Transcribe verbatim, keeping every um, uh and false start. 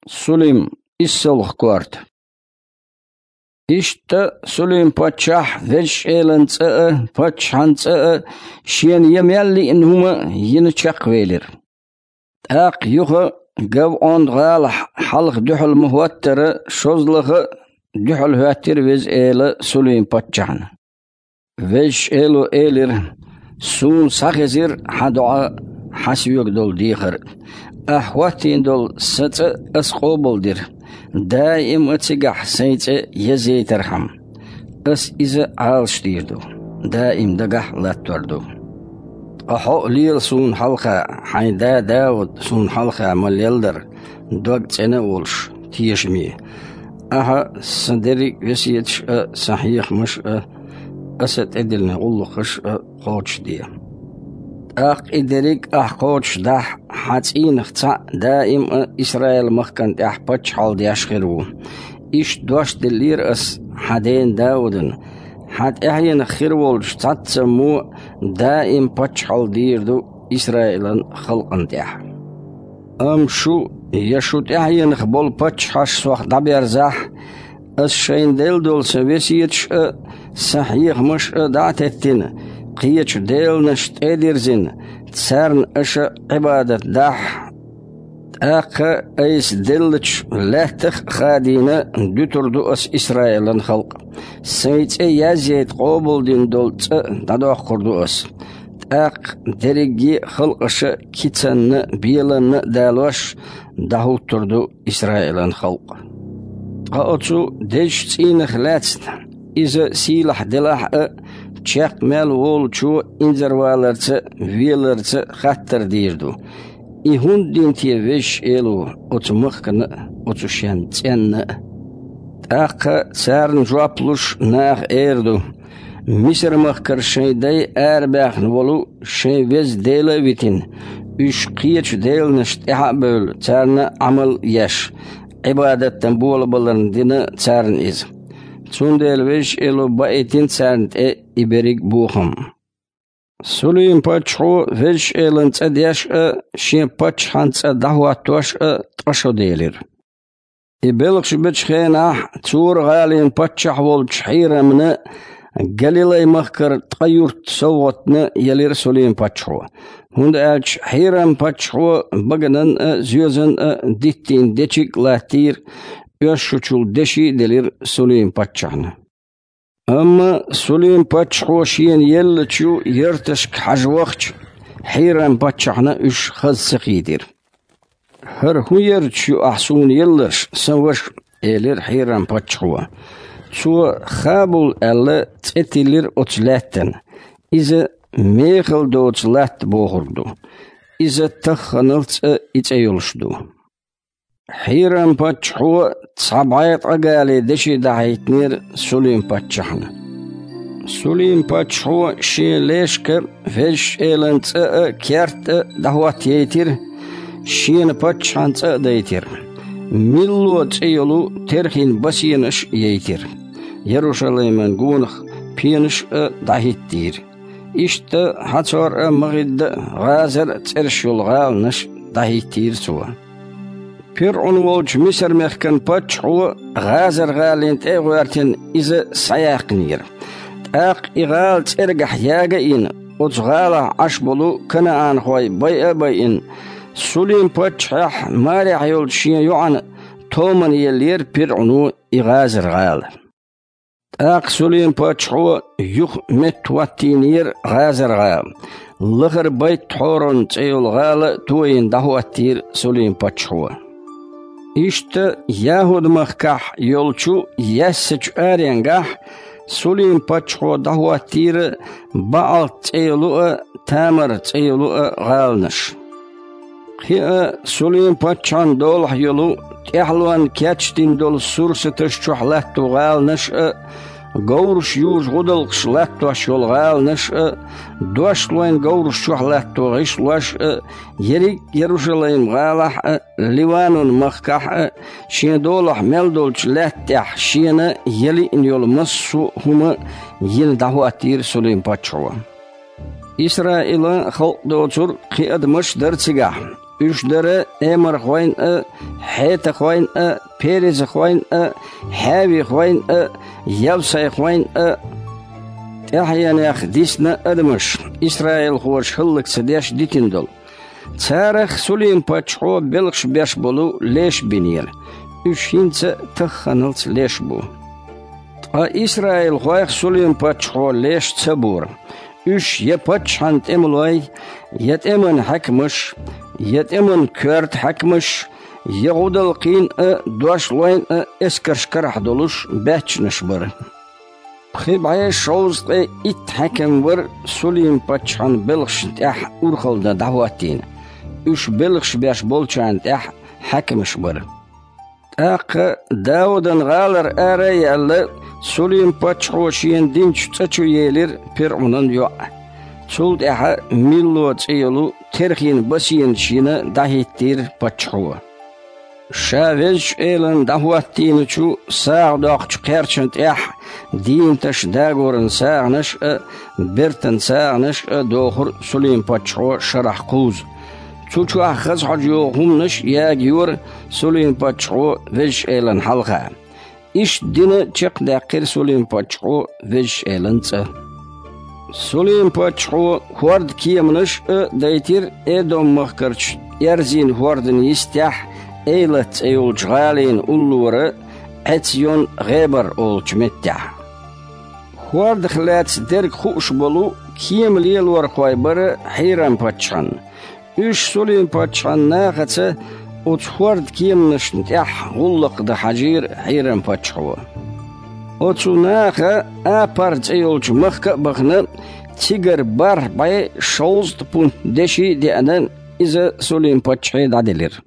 Сулим, иссалгӀа корта. Иштта Сулим-паччахь Везачу Элан цӀа а, паччахьан цӀа а шена я мел лиъна хӀума а йина чекхвелира. ТӀаккха юха ГавӀон-гӀалахь хьалха дуьхьал ма хӀоттара, шозлагӀа а дуьхьал хӀоьттира Веза Эла Сулим-паччахьна. Везачу Эло элира: «Суна схьахезира хьан доӀа а, хьан соьга долу дехар а. Ахь хӀоттийна долу сан цӀа аса къобалдира, даим а цигахь сайн цӀе езъяйтархьама. Аса иза Ӏалашдийр ду, даим дагахь а латтор ду. Ткъа хьо а лела суна хьалха, хьайн да Дауд суна хьалха ма-леллара, дог цӀена а волуш, тешаме. Ахьа сан дерриг а весеташ а, сан хьехамаш а, аса тӀедиллина гӀуллакхаш а кхочушде. ТӀаккха и дерриг а ахь кхочушдахь, хьан цӀийнах цхьаъ даим а Исраил-махкана тӀехь паччахьалла деш хир ву. Иштта дош деллера аса хьан дена Даудана: „Хьан тӀаьхьенах хир волчу цхьаццаммо даим паччахьалла дийр ду Исраилан халкъана тӀехь“. Амма шу я шу тӀаьхьенах болу паччахьаш сох дӀаберзахь, аса шайна делла долу сан весеташ а, сан хьехамаш а дӀа а теттина, кхечу деланашна тӀе а дирзина, царна аша Ӏибадат дахь, тӀаккха айса деллачу лаьттах а хадийна, дуьтур ду аса Исраилан халкъ. Сайн цӀе язъяйта къобалдина долу цӀа дӀадоккхур ду аса. ТӀаккха дерриге а халкъаша кицанна а, беланна а далош, дӀахӀуттур ду Исраилан халкъ. Ткъа оцу дезачу цӀийнах лаьцна, иза сийлахь делахь а, чекх мел волучо инзарваларца а, веларца а хаттар дийр ду: „И хӀунда дина те Везачу Эло оцу махкана а, оцу шен цӀенна а?“ ТӀаккха царна жоп луш наха эр ду: „Мисар-махкара шайн дай арабаьхна волу шайн Веза Дела а витина, уьш кхечу деланашна тӀаьхьа а бевлла, царна Ӏамал а еш, Ӏибадат дан болабаларна дина царна иза. Цундела Везачу Эло баийтина царна тӀе и берриг а бохам“. Сулим-паччахьо Везачу Элан цӀа деш а, шен паччахьан цӀа дӀахӀоттош а ткъа шо делира. И белхаш бечу хенахь Цура-гӀалин паччахь волчу Хьирамна Галилай-махкара ткъа юрт совгӀатна елира Сулим-паччахьо, хӀунда аьлча Хьирам-паччахьо баганан а, зоьзан а диттийна дечиг а латтийра, оьшшучул деши а делира Сулим-паччахьна. Амма Сулим-паччахьо шена еллачу ярташка хьажа вахча, Хьирам-паччахьна уьш хаза ца хийтира. „ХӀара хӀун ярташ ю ахь суна елларш, сан ваша?“ – элира Хьирам-паччахьо. Цо Хабул аьлла цӀе тиллира оцу лаьттана. Иза мехала доцу латта бохург ду. Иза тахханалц а и цӀе йолуш ду. Хьирам-паччахьо цхьа бӀе ткъа гали деши дахьийтинера Сулим-паччахьна. Сулим-паччахьо шен лешка Везачу Элан цӀа а, керт а дӀахӀоттаяйтира, шена паччахьан цӀа а дайтира. Милло цӀе йолу терхин басенаш а яйтира. Ярушалайман гонах пенаш а дӀахӀиттийра. Иштта ХьацӀор а, МагӀидда а, ГӀазар а цӀераш йолу гӀаланаш дӀахӀиттийра цо. ПирӀун волчу Мисар-мехкан паччахьо ГӀазар-гӀалина тӀе а гӀоьртина, иза схьаяьккхинера. ТӀаккха и гӀала цӀергахь яга а йина, оцу гӀалахь Ӏаш болу канаанхой байа а байина, Сулим-паччахьехь марехь йолчу шен йоӀана томана еллера ПирӀуно и ГӀазар-гӀала. ТӀаккха Сулим-паччахьо юха меттахӀоттийнера ГӀазар-гӀала. Лахара Байт-Хьорон цӀе йолу гӀала а тойина дӀахӀоттийра Сулим-паччахьо. Иштта ЯхӀуд-махкахь йолчу Яьссачу аренгахь Сулим-паччахьо дӀахӀоттийра БаӀалт цӀе йолу а, Тамар цӀе йолу а гӀаланаш. Кхин а Сулим-паччахьан долахь йолу, тӀаьхьалонна кечдина долу сурсаташ чохь латто гӀаланаш а, говраш южу гӀудалкхаш латтош йолу гӀаланаш а, дошлойн говраш чохь латто гӀишлош а, ерриг Ярушалайм-гӀалахь а, Ливанун-махкахь а, шен долахь мел долчу лаьтта тӀехь шена ялиъна йолу массо а хӀума йина дӀахӀоттийра Сулим-паччахьо. Исраилан халкъ доцург кхин адамаш а дара цигахь. Уьш дара эмархойн а, хьетахойн а, перезахойн а, хьавихойн а, явсайхойн а. ТӀаьхьенех дисна адамаш, исраилхоша хӀаллакдеш дитина долу. Царах Сулим-паччахьо белхаш беш болу леш бинера. Уьш хӀинца а тахханалц леш бу. Ткъа исраилхойх Сулим-паччахьо леш ца бора. Уьш я паччахьан тӀемалой, я тӀеман хьаькамаш, я тӀеман коьрта хьаькамаш, я гӀудалкхийн а, дошлойн а эскарш карахь долуш баьччанаш бара. Пхи бӀе шовзткъе итт хьаькам вара Сулим-паччахьан белхашна тӀехь урхалла дан дӀахӀоттийна. Уьш белхаш беш болчарна тӀехь хьаькамаш бара. ТӀаккха Даудан гӀалара ара а яьлла, Сулим-паччахьо шена динчу цӀа чу елира ПирӀунан йоӀ. Цул тӀаьхьа Милло цӀе йолу терхин басенаш йина дӀахӀиттийра паччахьо. Ша Везачу Элана дӀахӀоттийначу сагӀа доккхучу кхерчана тӀехь дийнаташ дагоран сагӀанаш а, бертан сагӀанаш а дохура Сулим-паччахьо шарахь кхузза. Цу чохь хаза хьожа йогӀу хӀуманаш а ягайора Сулим-паччахьо Везачу Элана хьалха. Иштта дина чекхдаьккхира Сулим-паччахьо Везачу Элан цӀа. Сулим-паччахьо хӀорда кеманаш а дайтира Эдом-махкарчу Эрзин хӀордан йистехь, Эйлат цӀе йолчу гӀалина уллора, Ӏецйон-ГӀебар олучу меттехь. ХӀордах лаьцна дерг хууш болу кема лелорхой бара Хьирам-паччахьан. Уьш Сулим-паччахьан нахаца оцу хӀорда кеманашна тӀехь гӀуллакх дан хьажийра Хьирам-паччахьо. Оцу наха Апар цӀе йолчу махка а бахана, цигара бархӀ бӀе шовзткъа пунт деши а деана, иза Сулим-паччахье дӀаделира.